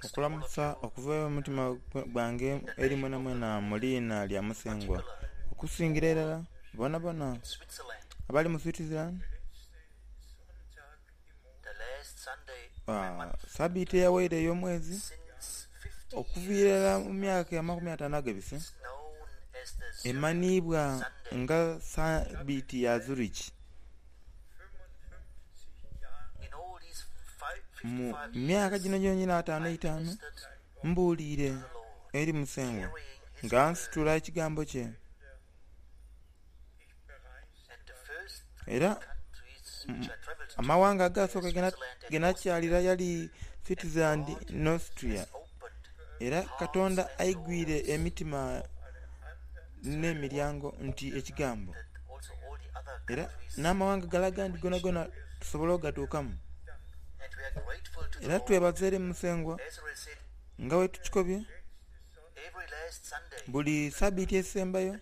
Okulamusa okuva omutima gwange eri mwenamwena mu liina lya Musengwa, okusingira irala bonabona abali mu Switzerland. Sabiiti eyawaire ey'omwezi okuviira irala mu myaka 50 agabise emanhiibwa nga Sabiiti ya Zurich. Mu myaka gino gyongyona 55 mbuliire eri Musengwa nga nsitula ekigambo kye. Era amawanga agaasooka ge nakyalira yali Switzerland ni Austria. Era Katonda aigwire emitima n'emiryango nti Ekigambo. Era n'amawanga gale agandi gonagona tusobola ogatuukamu. Era twebaza eri Musengwa nga bwetukikobye buli sabiiti esembayo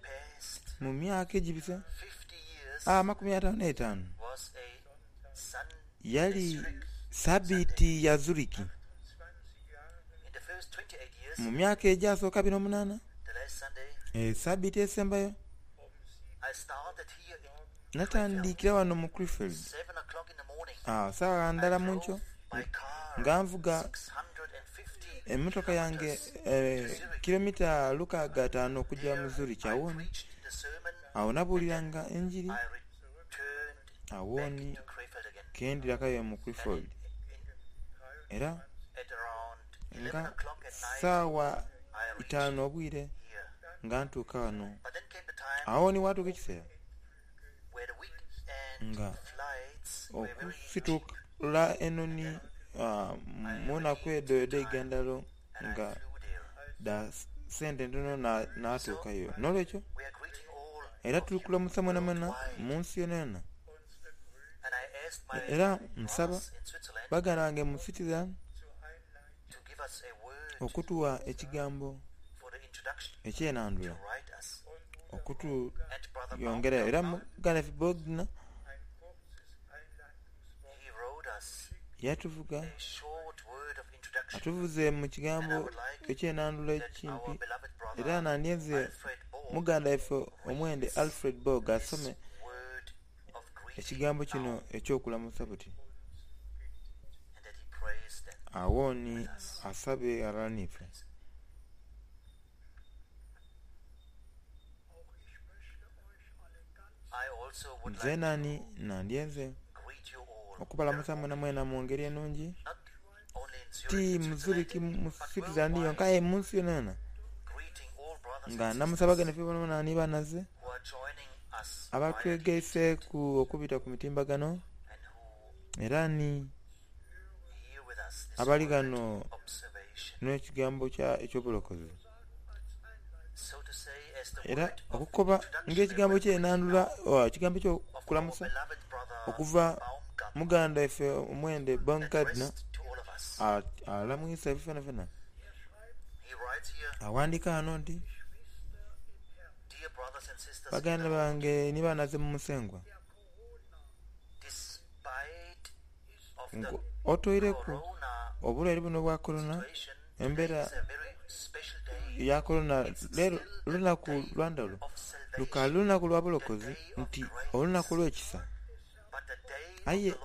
mu myaka egibise 55 yali sabiiti ya Zurich. Mu myaka egyasooka 28, esabiiti esembayo, Natandikira wano mu Krefeld saagha ndala munkyo nga nvuga emotoka yange kilomita 605 okugya mu Zurich awooni. Agho nabuuliranga enjiri awooni kendhirakayo mu Krefeld era nga saawa itaanu obwire nga ntuuka ghano. Agho ni ghatuuka ekiseera nga okusitula enoni mu naku edho edh'eigandhalo nga dha sente ntono natuukayo. N'olwekyo era tuli kulamusa mwenamwena mu nsi yonayona. Era nsaba baganda bange mu Switzerland okutuwa ekigambo eky'enandhula okutuyongerayo. Era muganda waife Bogner yatuvuga, atuvuze mu kigambo eky'enandhula ekimpi era nandyenze muganda waife omwende Alfred Borg asome ekigambo kino eky'okulamusa buti. Agho ni asabe ghalala n'ife. Nzeena ni nandyenze okubalamusa mwenamwena mu ngeri enungi, ti mu Zurich mu Switzerland yonka aye mu nsi yonayona, nga ndamusa baganda baife bonabona ni banaze abatwegaiseku okubita ku mitimbagano era ni abali ghano n'ekigambo eky'obulokozi. Era okukoba ng'ekigambo ky'enandhula, ekigambo eky'okulamusa okuva muganda waife omwende Baumgardner alamwisa ife fenafena. Aghandika ghano nti, Baganda bange ni banaze mu Musengwa, Otoireku obulwaire buno obwa Korona, embera ya Korona, leero lunaku lwa ndhaghulo. Lukaali lunaku lwa bulokozi nti olunaku olw'ekisa. Aye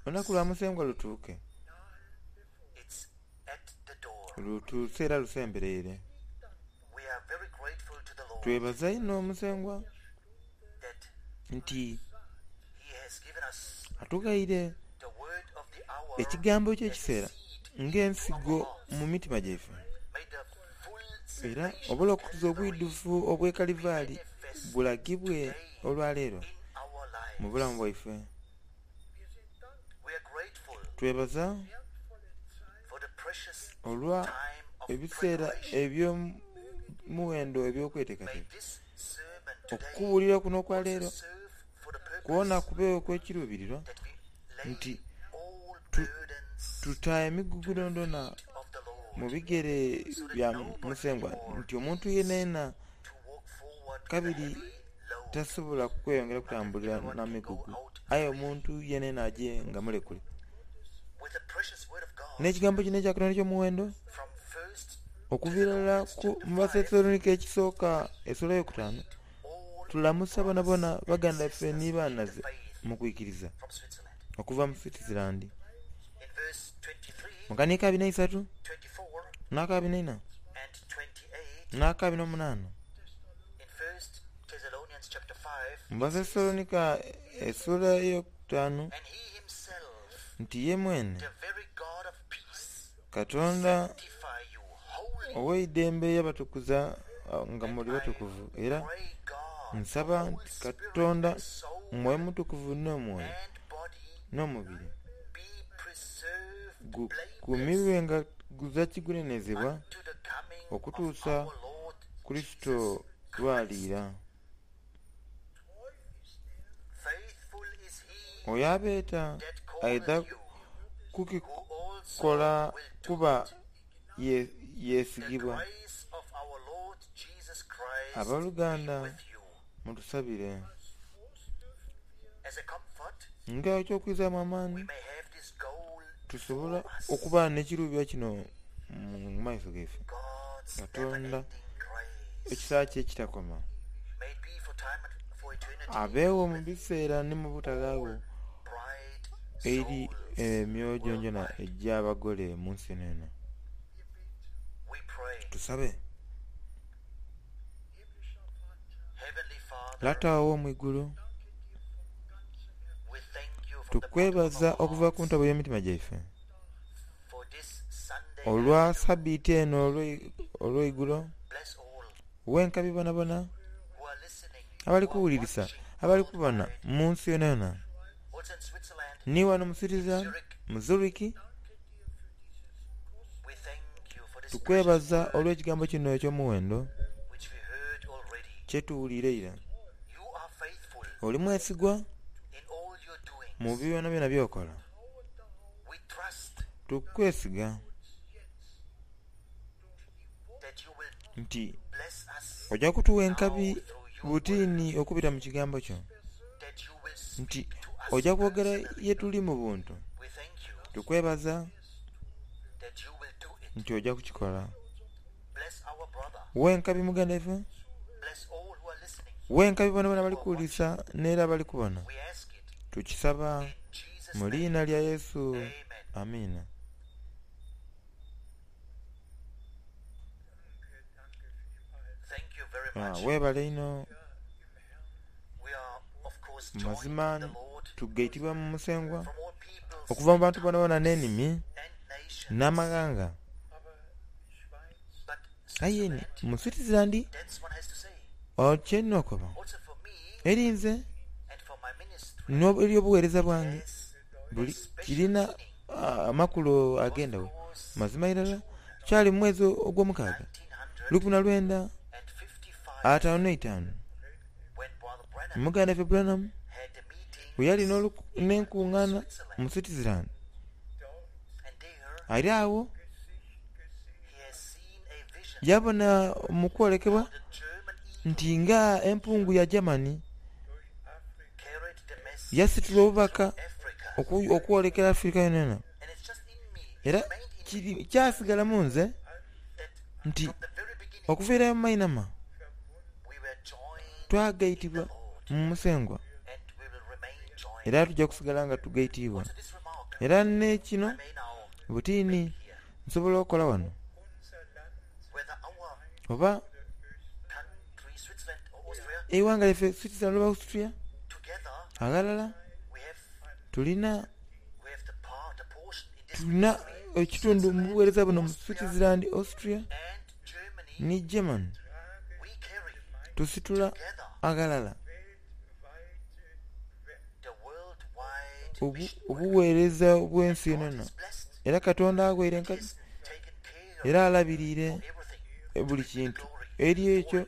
olunaku lwa Musengwa lutuuke. Lutuuse era lusembereire. Twebaza inho Musengwa nti atughaire ekigambo eky'ekiseera ng'ensigo mu mitima gyaife. Era obulokozi obwidhuvu obw'e Kalivaali bulagibwe olwaleero mu bulamu bwaife. Twebaza olwa ebiseera eby'omuwendo eby'okweteekateeka. Okubuulira kuno okwa leero kwona kubeegho okw'ekiruubirirwa nti tuta emigugu dhoonadhoona mu bigere bya Musengwa nti omuntu yenayena kabiri tasobola kweyongera kutambulira na migugu aye omuntu yenayena aje nga mulekule. N'ekigambo kino ekya Katonda eky'omuwendo okuviira irala ku mu Bathesalonika ekisooka essuula eyokutaanu, tulamusa bonabona baganda baife ni baanaze mu kwikiriza okuva mu Switzerland. Mu kaniiko abiri n'eisatu, n'akabiri n'eina, n'akabiri n'omunaana, mu Bathesalonika essuula eyokutaanu nti ye mwene Katonda ow'eidembe yabatukuza nga muli batukuvu era nsaba nti Katonda Mwoyo Mutukuvu n'omwoyo n'omubiri gukuumibwe nga guzira kigunenezebwa okutuusa Kurisito lw'aliira. Oyo abeeta aidha kukikola kuba yeesigibwa. Aboluganda mutusabire. Nga eky'okwizaamu amaani, tusobola okuba n'ekiruubirirwa kino mu maiso gaife. Katonda ekisa kye ekitakoma abeegho mu biseera ni mu butaghaagho eri emyoyo gyonagyona egy'abagole mu nsi yonayona. Tusabe. Lata ow'omu igulu, tukwebaza okuva ku ntobo y'emitima gyaife olwa sabiti eno olw'eigulo. Wenkabi bonabona abali kuwulirisa, abali kubona mu nsi yonayona, ni wano mu Switzerland, mu Zurich. Tukwebaza olw'ekigambo kino eky'omuwendo kyetuwuliire eira. Oli mwesigwa mu byonabyona by'okola. Tukwesiga nti oja kutuwa enkabi butini okubita mu kigambo kyo, nti oja kwogera yetuli mu buntu. Tukwebaza nti oja kukikola. Wenkabi muganda ife, wenkabi bonabona abali kuwulirisa n'era abali kubona. Tukisaba mu liina lya Yesu. Amiina. Webale inho. Mazima tugaitibwa mu Musengwa okuva mu bantu bonabona n'enimi n'amaghanga. Aye ni mu Switzerland kye nina okoba eri nze n'eri obugheereza bwange buli kirina amakulu ag'endhaghulo. Mazima irala kyali mu mwezi ogwomukaaga 1955 muganda ife Branham bwe yali n'enkungaana mu Switzerland. Ali agho yabona mu kwolekebwa nti nga empungu ya Germany yasitula obubaka okwolekera Africa yonayona. Era kyasigala mu nze nti okuviira mu mainhama twagaitibwa mu Musengwa era tuja kusigala nga tugaitiibwa. Era n'ekino butini nsobola okola wano oba eighanga lyaife Switzerland oba Austria aghalala tulina tulina ekitundu mu bugheereza buno mu Switzerland, Austria ni Germany. Tusitula aghalala obugheereza obw'ensi yonayona era Katonda aghaire enkabi era alabiriire buli kintu. Eri ekyo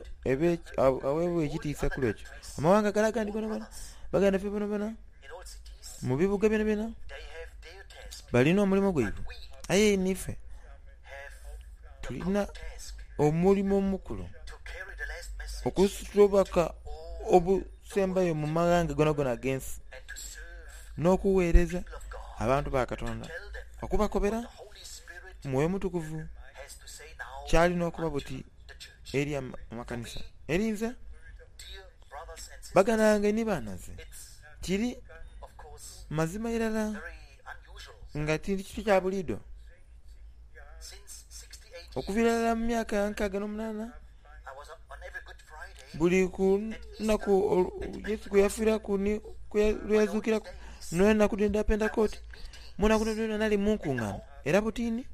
aweebwa ekitiisa ku lw'ekyo. Amawanga gale agandi gonagona, baganda baife bonabona, mu bibuga byonabyona balina omulimo gwaibwe. Aye niife tulina omulimo omukulu okusitula obubaka obusembayo mu maghanga gonagona ag'ensi n'okugheereza abantu ba Katonda okubakobera. Mwoyo Mutukuvu kyalina okuba buti eri amakanisa. Eri nze, baganda bange ni banhaze, kiri mazima irala nga ti kintu kya buliidho. Okuviira irala mu myaka 68, buli ku lunaku Yesu kwe yafiiraku ni lwe yazuukiraku, n'enaku dhino edha Pentekooti, mu naku dhoonadhoona nali mu nkungaana. Era butini,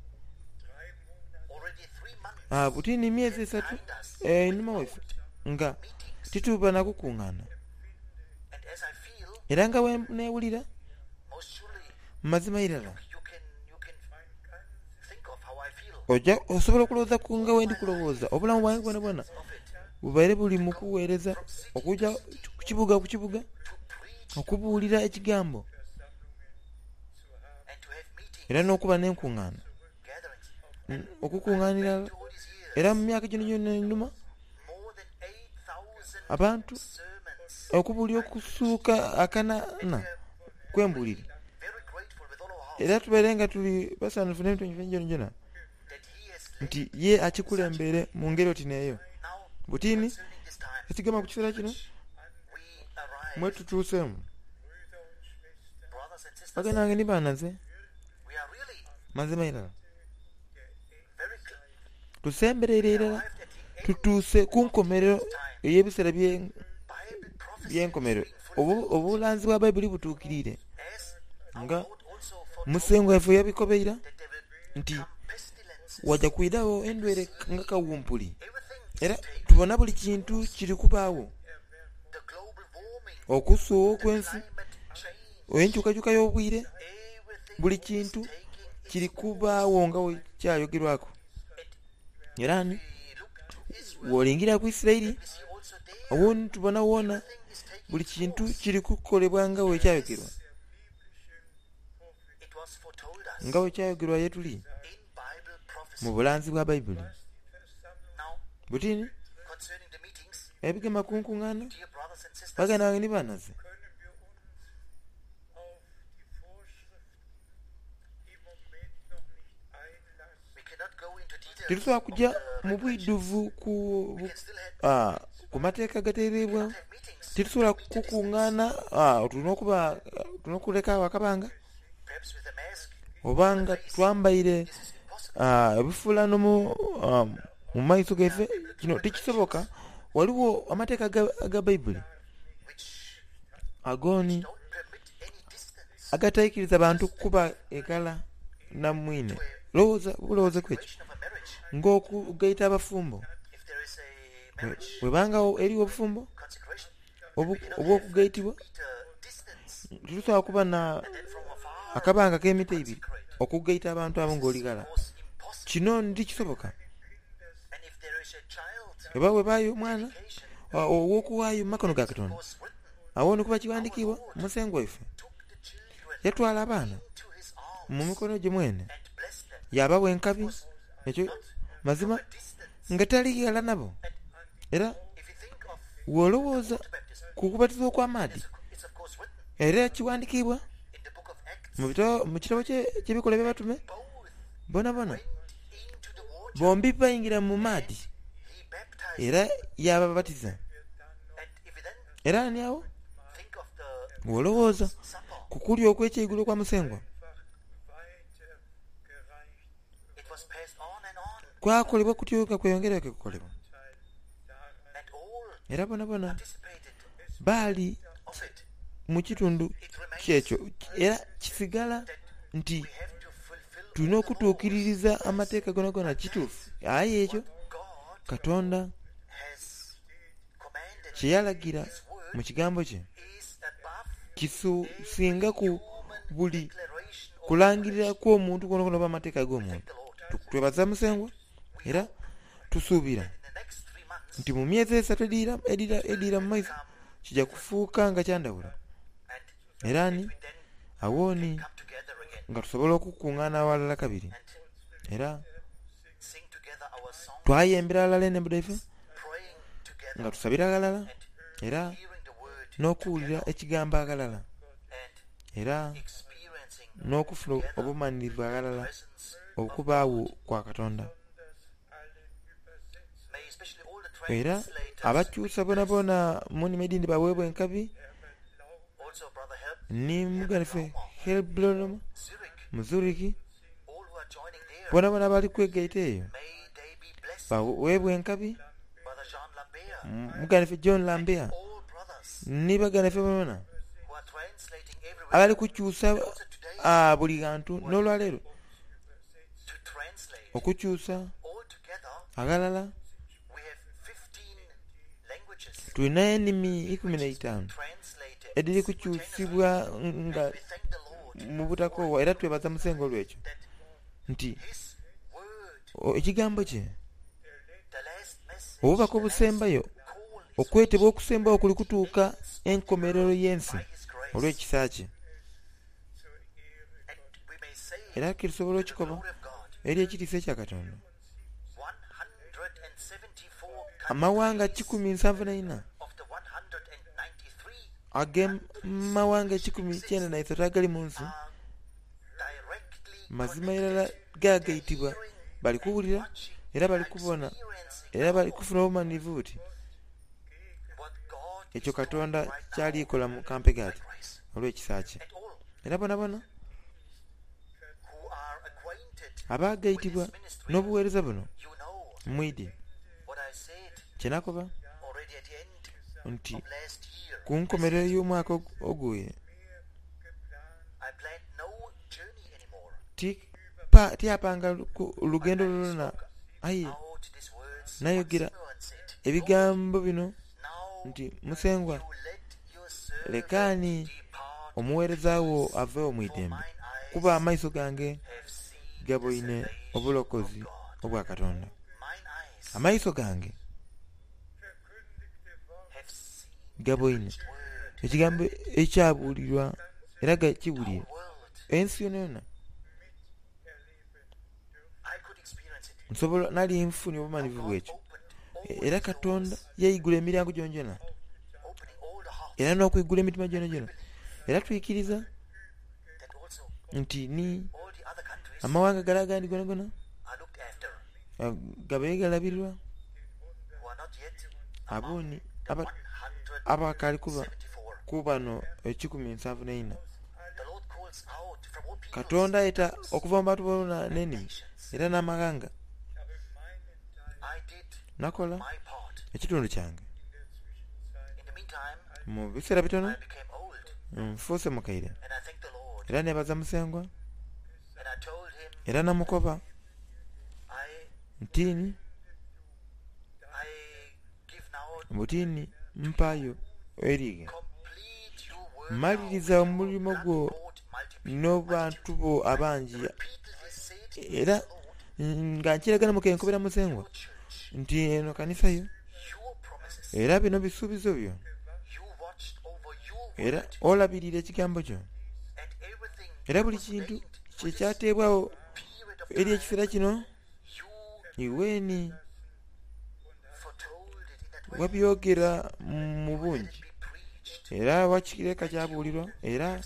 butini emyezi esatu einhuma waife nga tituba na kukungaana. Era nga bwe neewulira, mazima irala oja osobola okulowooza ku nga bwendi kulowooza. Obulamu bwange bwonabwona bubaire buli mu kuweereza okuja ku kibuga ku kibuga okubuulira ekigambo era n'okuba n'enkungaana, okukunganira era mu myaka gino gyona einhuma abantu okubuulira okusuuka akanana kwembuulire. Era tubaire nga tuli basanhufu n'emitwe gyaife gyonagyona nti ye akikulembeire mu ngeri oti n'eyo. Butini ekigema ku kiseera kino mwe tutuuseemu. Baganda bange ni banhaze, mazima irala tusembereire irala tutuuse ku nkomerero ey'ebiseera by'enkomerero. Obulanzi bwa Baibuli butuukiriire nga Musengwa waife yabikobeira nti waja kwidhagho endwaire nga kawumpuli. Era tubona buli kintu kiri kubaagho. Okusuugha okw'ensi, enkyukakyuka y'obwire, buli kintu kiri kubaagho nga bwe kyayogerwaku. Era ni bw'olingira ku Isiraeli, agho ni tubona wona buli kintu kiri kukolebwa nga bwe kyayogerwa. Nga bwe kyayogerwa ye tuli mu bulanzi bwa Baibuli. Buti ni ebigema ku nkungaana, baganda bange ni banhaze, Titusobola kuja mu bwidhuvu ku mateeka agateereibwagho. Titusobola kukungaana, tulina okuba, tulina okuleka agho akabanga oba nga twambaire ebifuulano mu maiso gaife. Kino tikisoboka. Ghaligho amateeka aga Baibuli agooni agataikiriza bantu kuba eghala na mwine. Lowooza bulowooze ku ekyo ng'okugaita abafumbo. Bwebanga eriwo obufumbo obw'okugaitibwa, titusobola kuba na akabanga k'emita eibiri okugaita abantu abo ng'oli ghala. Kino tikisoboka. Oba bwebaayo omwana ow'okughaayo mu makono ga Katonda, agho ni kuba kighandikiibwa, Musengwa waife yatwala abaana mu mikono gye mwene, yaabawa enkabi. Ekyo mazima nga tali ghala nabo. Era bw'olowooza ku kubatizibwa okw'amaadhi, era kighandikiibwa mu kitabo ky'Ebikolwa eby'Abatume, bonabona bombi baingira mu maadhi era yaababatiza. Era ni agho bw'olowooza ku kulya okw'ekyeigulo okwa Musengwa, kwakolebwa kutyo nga kweyongera kukolebwa. Era bonabona baali mu kitundu ky'ekyo, era kisigala nti tulina okutuukiririza amateeka gonagona. Kituufu. Aye ekyo Katonda kye yalagira mu kigambo kye kisingaku buli kulangirira kw'omuntu kwonakwona oba amateeka ag'omuntu. Twebaza Musengwa era tusuubira nti mu myezi esatu edhiira mu maiso kija kufuuka nga kya ndhawulo. Era ni agho ni nga tusobola okukungaana aghalala kabiri era twayembera ghalala enhembo dhaife nga tusabira ghalala era n'okuwulira ekigambo aghalala era n'okufuna obumanhirivu aghalala. okubaagho kwa Katonda. Era abakyusa boonaboona mu nnimi edhindi baweebwa enkabi ni muganda waife Helblom mu Zurich, boonaboona abali kwegaita eyo baweebwa enkabi. Muganda waife John Lambert ni baganda baife boonaboona abali kukyusa buli ghantu n'olwaleero okukyusa aghalala tulina enimi 15 edhiri kukyusibwa nga mu butakoowa era twebaza Musengwa olw'ekyo nti ekigambo kye obubaka obusembayo okwetebwa okusembayo kuli kutuuka enkomerero y'ensi olw'ekisa kye. Era tusobola okikoba eri ekitiisa ekya Katonda. Amawanga 174 ag'amawanga 193 agali mu nsi mazima irala gagaitibwa bali kuwulira era bali kubona era bali kufuna obumanhirivu buti ekyo Katonda kyali kola mu kampe ati olw'ekisa kye. Era bonabona abagaitibwa n'obuweereza buno mwidhi kye nakoba nti ku nkomerero y'omwaka oguwaire tiyapanga lugendo lwona aye nayogera ebigambo bino nti Musengwa lekaani omuweereza wo aveewo mu idembe, kuba amaiso gange gaboine obulokozi obwa Katonda. Amaiso gange gaboine ekigambo ekyabulirwa era gakiwulire ensi yonayona. Nsobola nali nfunye obumanhivu bw'ekyo era Katonda yaigula emiryango gyonagyona era n'okwigula emitima gyonagyona era twikiriza nti ni amawanga gale agandi gonagona gabaire galabirirwa aboni abakaali kuba ku bano 174. Katonda ayeta okuva mu bantu boona n'enimi era n'amaghanga. Nakola ekitundu kyange. Mu biseera bitono nfuuse mukaire era nebaza Musengwa era namukoba nti butini mpaayo erighe. Maliriza omulimo gwo n'abantu bo abangi era nga nkiragana mukenkobera Musengwa nti eno kanisa yo era bino bisuubizo byo era olabirira ekigambo kyo era buli kintu kyekyateebwagho eri ekiseera kino iweni wabyogera mu bungi era wakireka kyabuulirwa era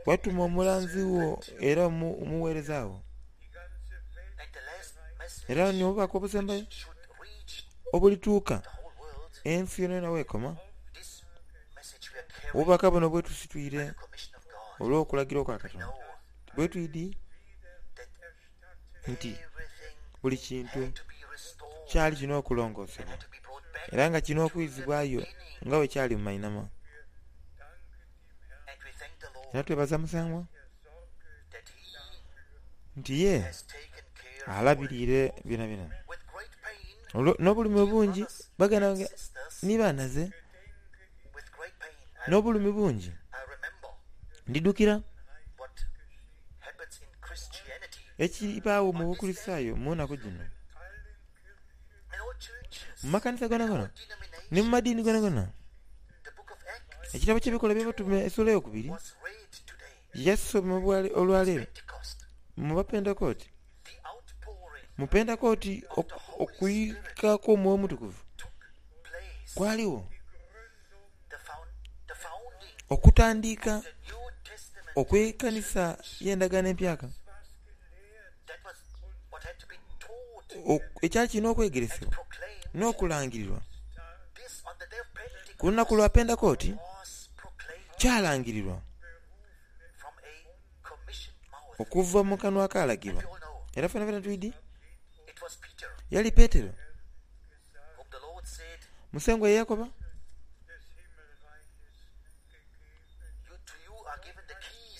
watuma omulanzi wo era omuweereza wo era n'obubaka obusembayo obulituuka ensi yonayona weekoma. Obubaka buno bwetusitwire olw'okulagira okwa Katonda bwetwidhi nti buli kintu kyali kina okulongosebwa era nga kina okwizibwayo nga bwe kyali mu mainhama. Era twebaza Musengwa nti ye alabiriire byonabyona. N'obulumi obungi baganda bange ni banhaze, n'obulumi bungi ndidhukira ekibaagho mu Bukulisitayo mu naku dhino. Mu makanisa gonagona ni mu madiini gonagona, ekitabo ky'Ebikolwa eby'Abatume esula eyokubiri yasomebwa olwaleero mu Bapentekooti. Mu Pentekooti okwika kw'Omwoyo Omutukuvu kwaligho okutandika okw'ekanisa y'Endagaano Empyaka. Ekyali kirina okwegeresebwa n'okulangirirwa ku lunaku lwa Pentekooti kyalangirirwa okuva mu kanwa akalagirwa. Era fenafena twidi yali Petero Musengwa ye yakoba.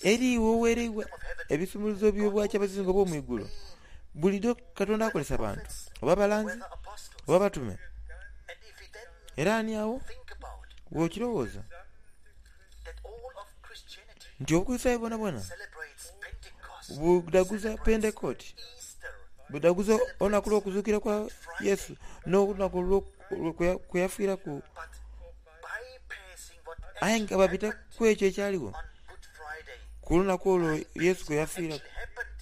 Eri iwe owereibwa ebisumuluzo by'obwakyabazinga obw'omu igulu. Buliidho Katonda akozesa bantu, oba balanzi, oba batume. Era ani agho bw'okirowooza nti Obukulisitaayo bwonabwona budhaguza Pentekooti, budhaguza olunaku lw'okuzuukira kwa Yesu n'olunaku kwe yafiiraku, aye nga babita ku ekyo ekyaligho ku lunaku olwo Yesu kwe yafiiraku,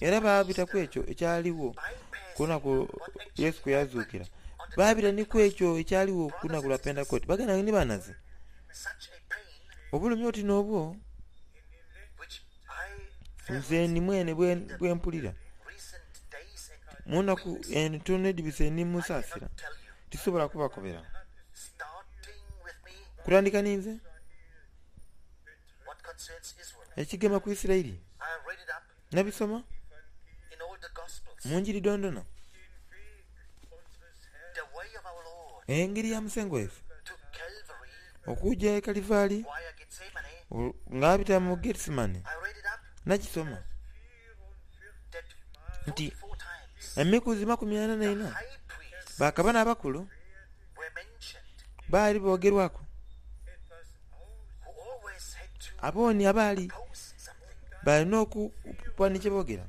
era baabita ku ekyo ekyaligho ku lunaku Yesu kwe yazuukira, baabita ni ku ekyo ekyaligho ku lunaku lwa Pentekooti. Baganda bange ni banaze, obulumi oti n'obwo nze ni mwene bwe mpulira mu naku entono edhibise ni musaasira, tisobola kubakobera. Kutandika ninze ekigema ku Isiraeli nabisoma mu njiri dhoondhona. Engeri ya Musengwa waife okuja e Kalivaali nga abita mu Gethsemane nakisoma nti emikuzi 44 bakabona abakulu baali boogerwaku abooni abaali balina okuba ni kyeboogera.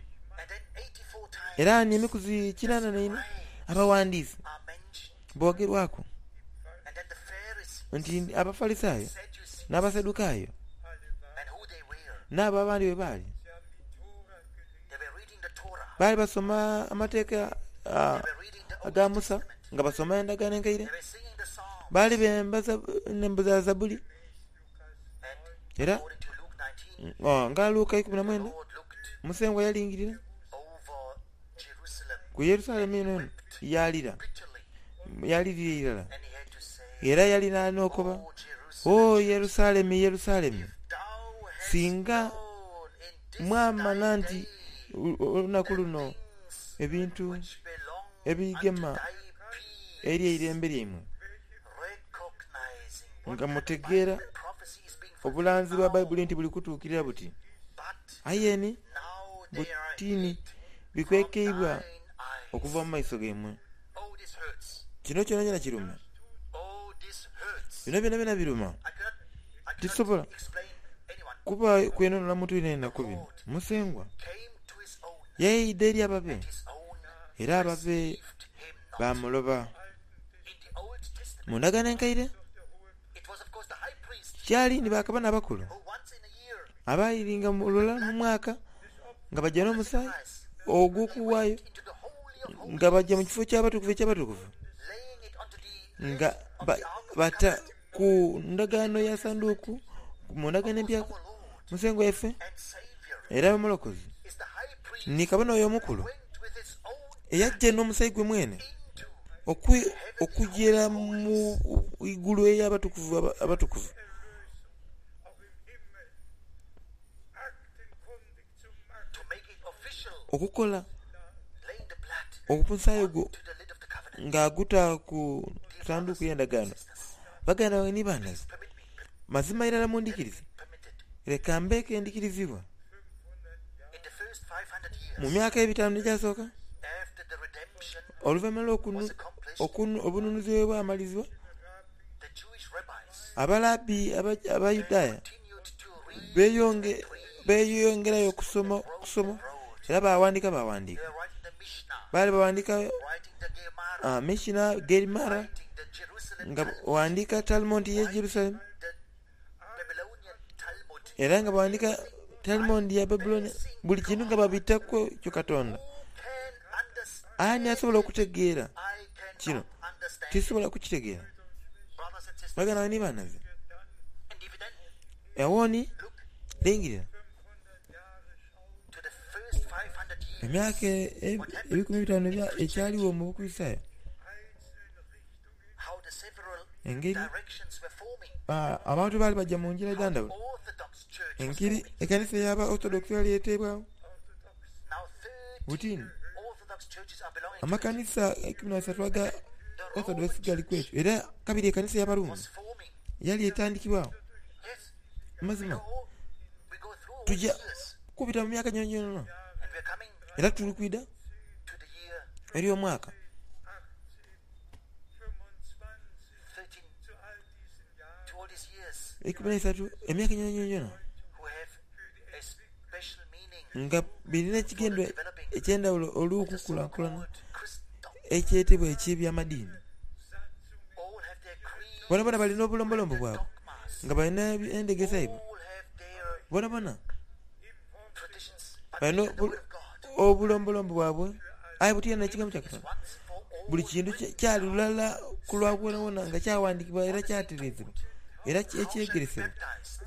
Era ni emikuzi 84 abawandiisi boogerwaku nti Abafalisaayo n'Abasadukayo n'abo abandi bwe baali, baali basoma Amateeka aga Musa nga basoma Endagaano Enkaire, baali bemba enhembo dha Zabbuli. Era nga Luka 19, Musengwa yalingirira ku Yerusalemu eno eno yaalira, yaalirira irala. Era yali n'okoba, O Yerusalemu, Yerusalemu, singa mwamanha nti olunaku luno ebintu ebigema eri eirembe lyaimwe, nga mutegeera obulanzi bwa Baibuli nti buli kutuukirira buti, aye ni butini bikwekeibwa okuva mu maiso gaimwe. Kino kyonakyona kiruma. Bino byonabyona biruma. Tisobola kuba kwenonora muntu yenayena ku bino. Musengwa yaidha eri ababe, era ababe baamuloba. Mu ndagaano enkaire, kyali ni bakabona abakulu abairinga lulala mu mwaka nga baja n'omusaayi ogw'okuwaayo, nga baja mu kifo ky'abatukuvu eky'abatukuvu, nga bata ku ndagaano ya sanduuku, mu ndagaano empyaka, Musengwa waife era Omulokozi ni Kabona oyo Omukulu eyaja n'omusaayi gwe mwene okugyera mu igulu ey'abatukuvu abatukuvu. Okukola omusaayi gwo ng'aguta ku sanduuku y'endagaano. Baganda bange ni banhaze, mazima irala mundhikirize, leka mbeeku endhikirizibwa. Mu myaka ebitaanu egyasooka, oluvainhuma lw'obununuzi bwe bwamalizibwa, Abalabbi Abayudaaya beeyongerayo okusoma okusoma era baaghandiika baaghandiika. Baali baghandiika Mishina, Gerimara, nga baghandiika Talmud y'e Yerusalemu, era nga baghandiika Talmud ya Babulonia. Buli kintu nga babitaku ekyo Katonda. Ani asobola okutegeera kino? Tisobola kukitegeera. Baganda bange ni banhaze, agho ni lingirira. Emyaka 500 ekyaligho mu Bukulisitaayo, engeri abantu baali baja mu ngira edha ndhaghulo, engeri ekanisa ey'aba Orthodox yali eteibwagho. Buti amakanisa 13 aga Orthodox gali kwekyo era kabiri ekanisa ey'Abaruumi yali etandikibwagho. Mazima tuja kubita mu myaka gyonagyona era tuli kwidha eri omwaka 13, emyaka gyonagyona nga birina ekigendwa eky'endhaghulo olw'okukulankulana ekyetebwa eky'eby'amadiini. Bonabona balina obulombolombo bwabwe nga balina endhegesa yaibwe. Bonabona balina obulombolombo bwabwe aye butya n'ekigambo kya Katonda. Buli kintu kyali lulala ku lwa bwonabwona nga kyaghandikibwa era kyatereezebwa era ekyegeresebwa.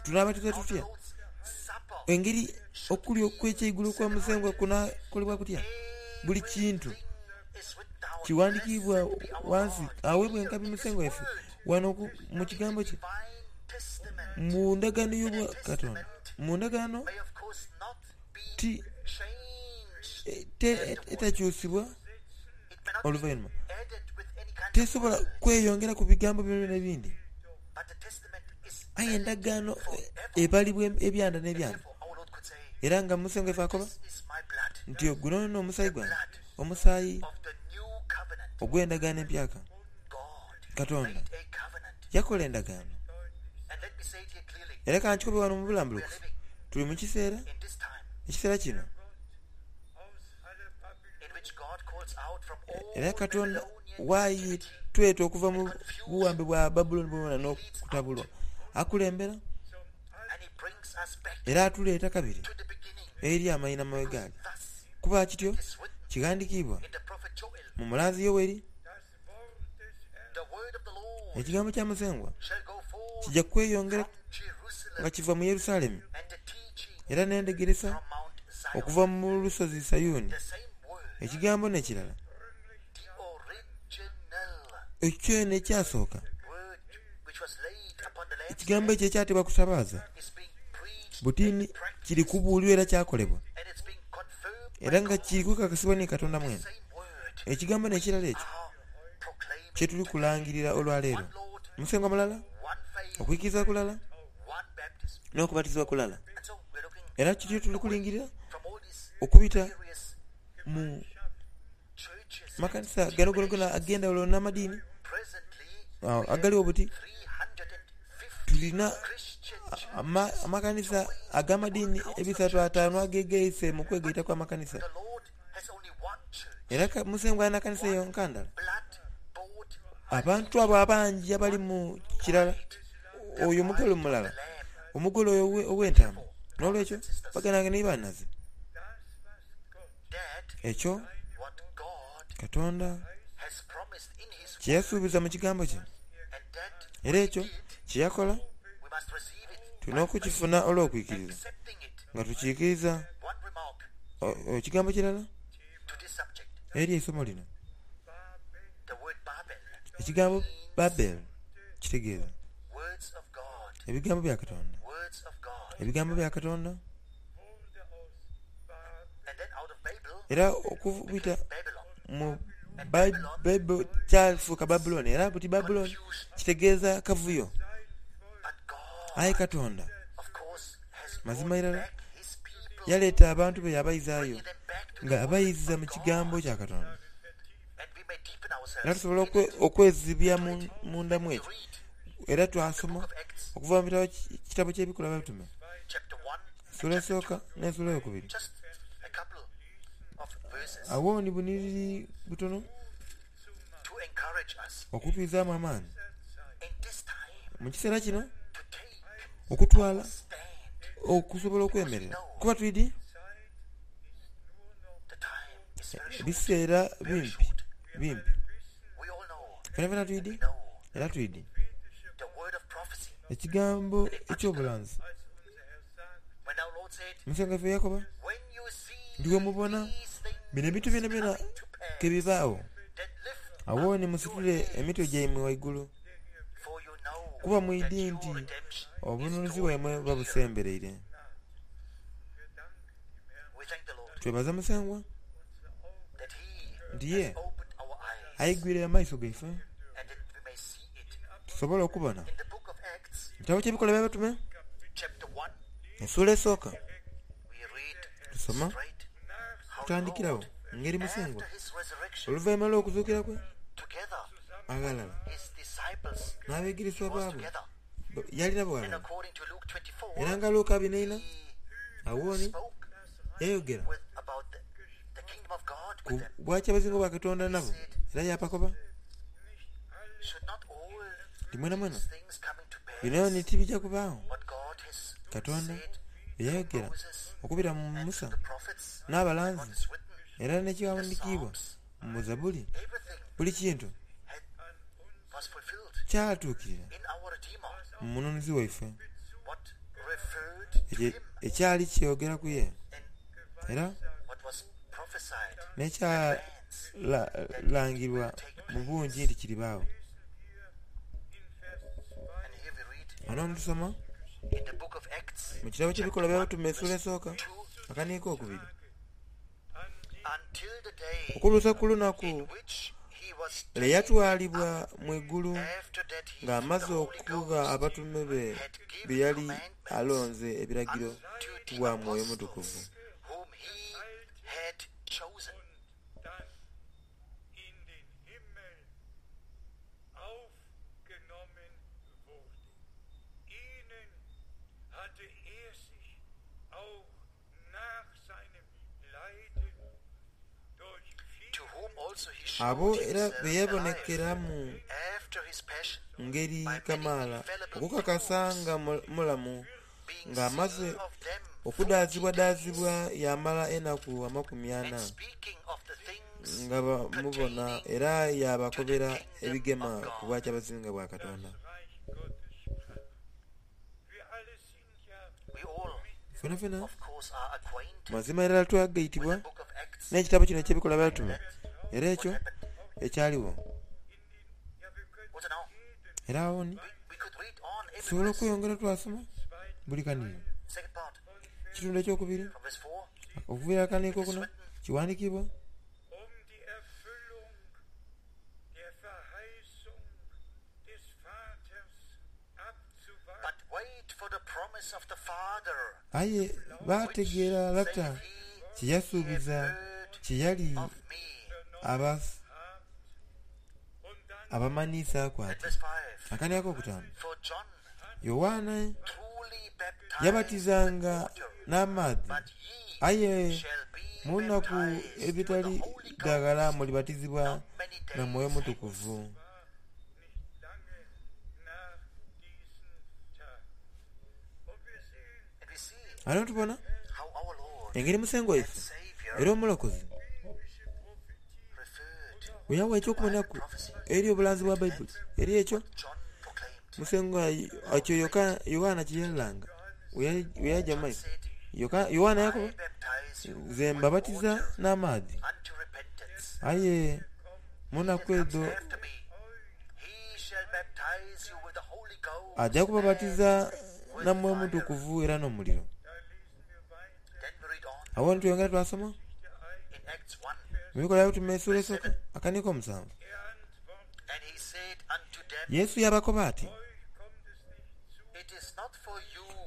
Tunaabatizibwa tutya? Engeri okulya okw'ekyeigulo kwa Musengwa kunaakolebwa kutya? Buli kintu kighandikiibwa ghansi aweebwa enkabi Musengwa waife ghano mu Kigambo kye, mu ndagaano y'obwa Katonda. Mu ndagaano ti etakyusibwa oluvainhuma, tesobola kweyongeraku bigambo byonabyona ebindi. Aye endagaano ebalibwa ebyanda n'ebyanda. Era nga Musengwa ife akoba nti, Guno n'omusaayi gwange, omusaayi ogw'endagaano empyaka. Katonda yakola endagaano. Era ka nkikobe ghano mu bulambulukufu, tuli mu kiseera, ekiseera kino. Era Katonda bw'atweta okuva mu buwambe bwa Babulooni bwonabwona n'okutabulwa, akulembera era atuleeta kabiri eri amainhama we gaali. Kuba kityo kighandikiibwa mu mulanzi Yoeli, Ekigambo kya Musengwa kija kweyongera nga kiva mu Yerusalemu, era n'endhegeresa okuva mu lusozi Sayuni. Ekigambo n'ekirala ekyo kyene ekyasooka, ekigambo ekyo ekyateebwa ku tabaaza, buti ni kiri kubuulirwa era kyakolebwa, era nga kiri kukakasibwa ni Katonda mwene. Ekigambo n'ekirala ekyo kye tuli kulangirira olwaleero, Musengwa mulala, okwikiriza kulala, n'okubatizibwa kulala. Era kityo tuli kulingirira okubita mu makanisa gano gonagona ag'endhaghulo n'amadiini agaligho buti. Tulina amakanisa ag'amadiini ebisatu ataanu agegaise mu kwegaita kw'amakanisa. Era Musengwa alina kanisa yonka ndala. Abantu abo abangi abali mu kirala, oyo omugole mulala, omugole oyo ow'entaama. N'olwekyo, baganda bange ni banhaze, ekyo Katonda kye yasuubiza mu Kigambo kye, era ekyo kye yakola, tulina okukifuna olw'okwikiriza, nga tukiikiriza. Ekigambo kirala eri eisomo lino, ekigambo Babel kitegeeza ebigambo bya Katonda. Ebigambo bya Katonda. Era okubita mu Babel kyafuuka Babulooni, era buti Babulooni kitegeeza kavuyo. Aye Katonda mazima irala yaleeta abantu be yaabaizaayo nga abaiza mu Kigambo kya Katonda. Era tusobola okwezibya munda mu ekyo. Era twasoma okuva mu kitabo ky'Ebikolwa by'Abatume, esula esooka n'esula eyokubiri. Agho ni bunhiriri butono okutwizaamu amaani mu kiseera kino okutwala okusobola okwemerera kuba twidhi ebiseera bimpi bimpi. Fenafena twidhi era twidhi ekigambo eky'obulanzi. Musengwa waife yakoba nti, Bwemubona Bino ebintu byonabyona kebibaawo, awo ni musitule emitwe gyaimwe waigulu, kuba mwidhi nti obununuzi bwaimwe buba busembereire. Twebaza Musengwa nti ye aigwire amaiso gaife tusobole okubona. Mu kitabo ky'Ebikolwa eby'Abatume esuula esooka tusoma kutandikiragho ngeri Musengwa oluvainhuma lw'okuzuukira kwe aghalala n'abeegereswa baabwe yali nabo ghalala. Era nga Luka abiri n'eina agho ni yayogera ku bwakyabazinga bwa Katonda nabo era yaabakoba nti mwenamwena bino ni tibija kubaagho. Katonda bye yayogera okubira mu Musa n'abalanzi era n'ekighandikiibwa mu Zabbuli, buli kintu kyatuukirira mu Mununuzi waife ekyali kyogera ku ye era n'ekyalangirwa mu bungi nti kiribaagho. Ghano ni tusoma mu kitabo ky'Ebikolwa by'Abatume esula esooka akaniiko okubiri okutuusa ku lunaku lwe yatwalibwa mu igulu ng'amaze okugha abatume be be yali alonze ebiragiro ku bwa Mwoyo Mutukuvu. Abo era be yabonekera mu ngeri kamaala okukakasa nga mulamu ng'amaze okudaazibwadaazibwa yaamala enaku amakumi ana nga bamubona era yaabakobera ebigema ku Bwakyabazinga bwa Katonda. Fenafena mazima irala twagaitibwa n'ekitabo kino eky'Ebikolwa by'Abatume era ekyo ekyaligho. Era agho ni tusobola okweyongera twasoma buli kanhiriro. Ekitundu ekyokubiri okuviira akaniiko okuna kiwandiikibwa. Aye baategeera Lata kye yasuubiza kye yali abamanhiisaaku ati, Akani akokutaanu, Yoanne yabatizanga n'amaadhi, aye mu nnaku edhitali dha ghala mulibatizibwa na Mwoyo Mutukuvu. Ghano tubona engeri Musengwa waife era Omulokozi bwe yawa eky'okubonaku eri obulanzi bwa Baibuli eri ekyo Musengwa ekyo Yoanna kye yalanga bwe yaja mu maiso. Yoanna yakoba, Nze mbabatiza n'amaadhi, aye mu naku edho aja kubabatiza na Mwoyo Mutukuvu era n'omuliro. Agho ni tweyongera twasoma mu Bikolwa By'Abatume esula esooka akaniiko omusanvu. Yesu yaabakoba ati,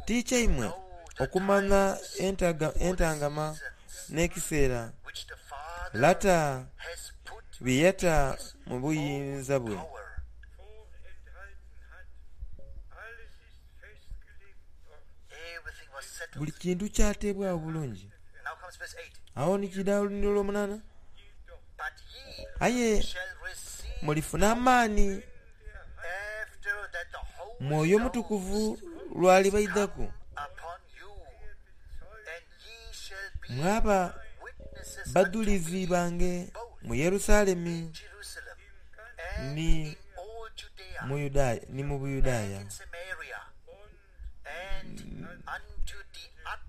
Ti kyaimwe okumanha entangama n'ekiseera Lata bye yata mu buyinza bwe. Buli kintu kyateebwagho bulungi. Agho ni kiidha olunhiriri olwomunaana, Aye mulifuna amaani Mwoyo Mutukuvu lw'alibaidhaku, mwaba badhulizi bange mu Yerusalemi ni mu Buyudaaya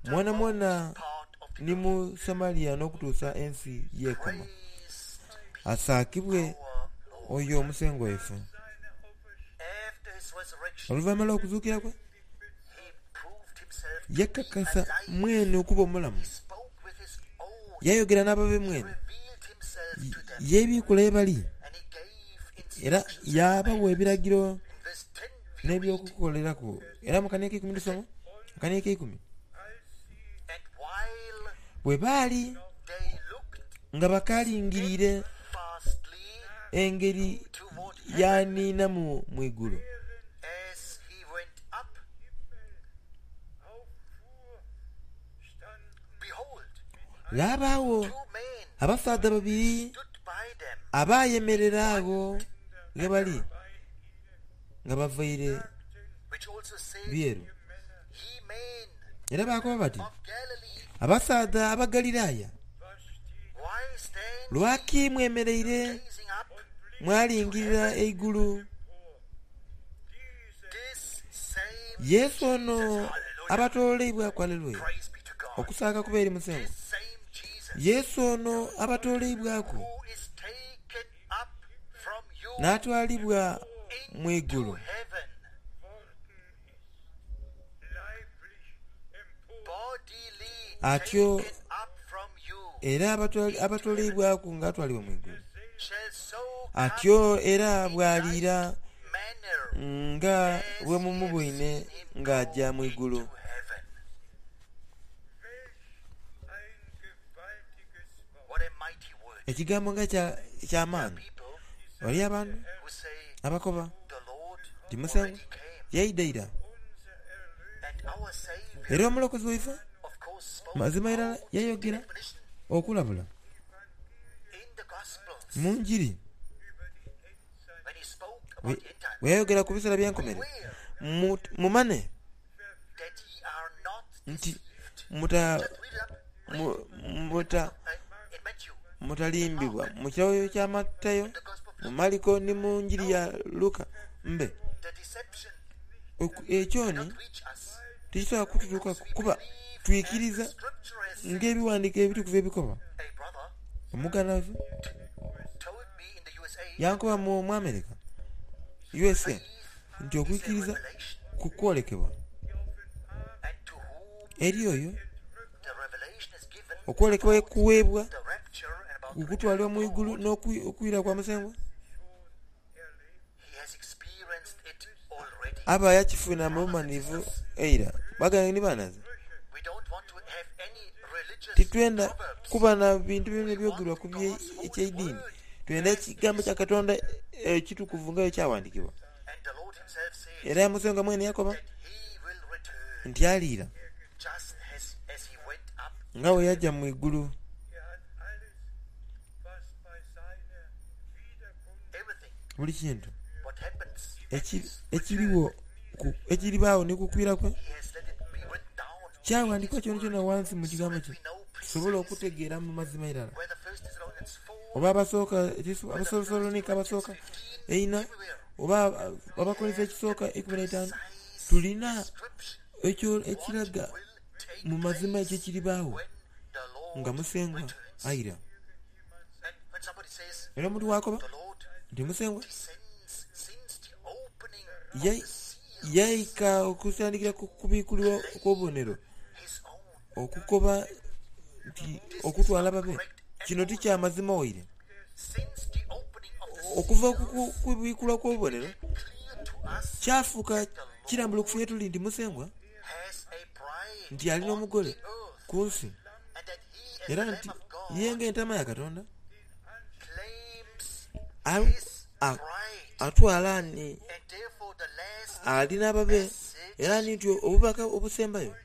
mwonamwona. ni mu Samaria n'okutuusa ensi y'ekoma. Asaakibwe oyo Omusengwa waife. Oluvainhuma lw'okuzuukira kwe, yekakasa mwene okuba omulamu. Yayogera n'ababe mwene, yebiikula ye bali, era yaabawa ebiragiro n'ebyokukoleraku. Era mu kania ak'eikumi tusoma, akania ak'eikumi. Bwe baali nga bakalingiriire engeri y'aniinamu mu igulu, ghabaagho abasaadha babiri abayemerera agho ghe bali nga bavaire byeru. Era baakoba bati, Abasaadha Abagaliraaya, lwaki mwemereire mwalingirira eigulu? Yesu ono abatooleibwaku, aleluya, okusaaka kube eri Musengwa. Yesu ono abatooleibwaku n'atwalibwa mu igulu. Atyo era abatooleibwaku nga atwalibwa mu igulu, atyo era bw'aliira nga bwe mumuboine ng'aja mu igulu. Ekigambo nga kya maani! Ghaliyo abantu abakoba nti Musengwa yaidha ira, era Omulokozi waife mazima irala yayogera okulabula mu Njiri bwe yayogera ku biseera by'enkomerero, Mumanhe nti mutalimbibwa. Mu kitabo kya Matayo, mu Mariko ni mu Njiri ya Luka mbe. Ekyo ni tikisobola kututuukaku kuba twikiriza ng'Ebighandiiko Ebitukuvu ebikoba. Omuganda waife yankoba mu America, USA, nti okwikiriza ku kwolekebwa eri oyo okwolekebwa ye kuweebwa ku kutwalibwa mu igulu n'okwira kwa Musengwa, aba yakifuna mu bumanhivu eira. Baganda ni banhaze, titwenda kuba na bintu byonabyona ebyogerwa ku eky'eidiini. Twenda ekigambo kya Katonda ekitukuvu nga bwe kyaghandiikibwa. Era Musengwa mwene yakoba nti aliira nga bwe yaja mu igulu. Buli kintu ekirigho ekiribaagho ni ku kwira kwe kyaghandiikibwa kyonakyona ghansi mu kigambo kye tusobole okutegeera mu mazima irala. Oba abasooka Abathesalonika abasooka eina oba Abakorintho ekisooka 15, tulina ekyo ekiraga mu mazima ekyo ekiribaagho nga Musengwa aira. Era omuntu bw'akoba nti Musengwa yaika okutandikira ku kubikulirwa okw'obubonero, okukoba nti okutwala babe, kino ti kya mazima waire. Okuva ku kubikulwa kw'obubonero, kyafuuka kirambulukufu ye tuli nti Musengwa nti ali n'omugole ku nsi, era nti ye ng'Entaama ya Katonda atwala ni ali n'ababe, era ni nti obubaka obusembayo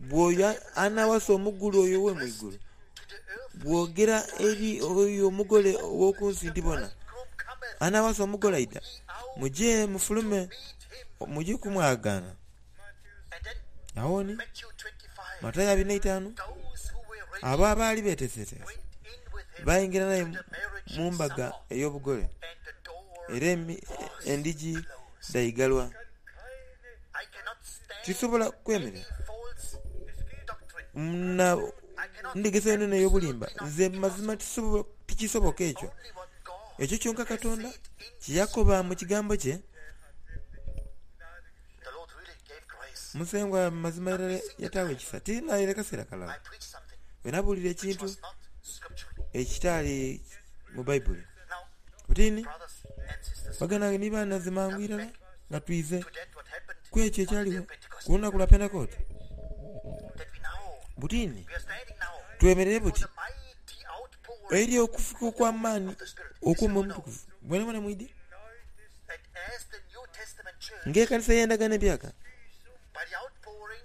bw'oyo anaawasa omugule oyo ow'e mu igulu bwogera eri oyo omugole ow'oku nsi nti, Bona, anaawasa omugole aidha, muje mufulume muje okumwagaana. Agho ni, Matayo abiri n'eitaanu, abo abaali beeteeseteese baingira naye mu mbaga ey'obugole, era endhigi dhaigalwa. Tisobola kwemerera. Na ndhegesa yonayona ey'obulimba. Nze mazima tikisoboka ekyo. Ekyo kyonka Katonda kye yakoba mu Kigambo kye. Musengwa mazima irala yataagho ekisa. Ti naire kaseera kalala bwe nabuulira ekintu ekitaali mu Baibuli. Buti ni, baganda bange ni banhaze mangu irala nga twize ku ekyo ekyaligho ku lunaku lwa Pentekote. Buti ni, twemereire buti eri okufuka okw'amaani okw'Omwoyo Omutukuvu. Mwenamwena mwidhi ng'ekanisa ey'Endagaano Empyaka,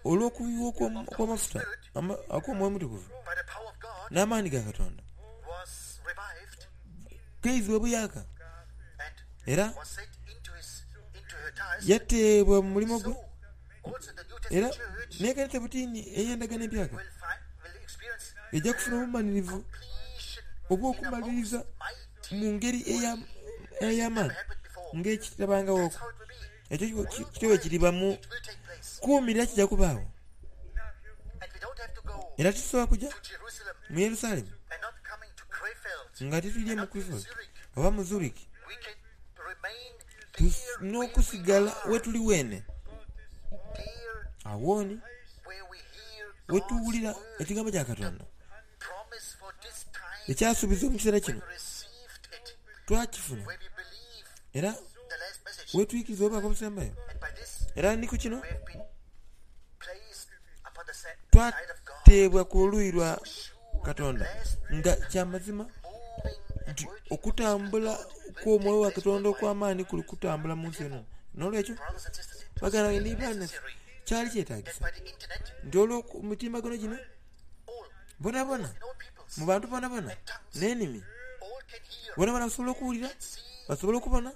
olw'okuyuwa okw'amafuta ak'Omwoyo Omutukuvu n'amaani ga Katonda, kaizibwa buyaaka era yateebwa mu mulimo gwe. Era n'ekanisa butini ey'Endagaano Empyaka eja kufuna obumalirivu obw'okumaliriza mu ngeri ey'amaani ng'ekitabangawoku. Ekyo kityo bwe kiriba mu kuwumirira kija kubaagho. Era titusobola kuja mu Yerusalemu nga titwidhye mu Krefeld oba mu Zurich. Tulina okusigala wetuli weene. Agho ni wetuwulira ekigambo kya Katonda ekyasuubizibwa mu kiseera kino, twakifuna era wetwikiriza obubaka obusembayo. Era ni ku kino twateebwa ku luuyi lwa Katonda nga kya mazima nti okutambula kw'Omwoyo wa Katonda okw'amaani kuli kutambula mu nsi eno. N'olwekyo, baganda bange ni banhinaze, kyali kyetagisa nti olw'emitimbagano gino bonabona, mu bantu bonabona n'enimi, bonabona basobole okuwulira, basobole okubona,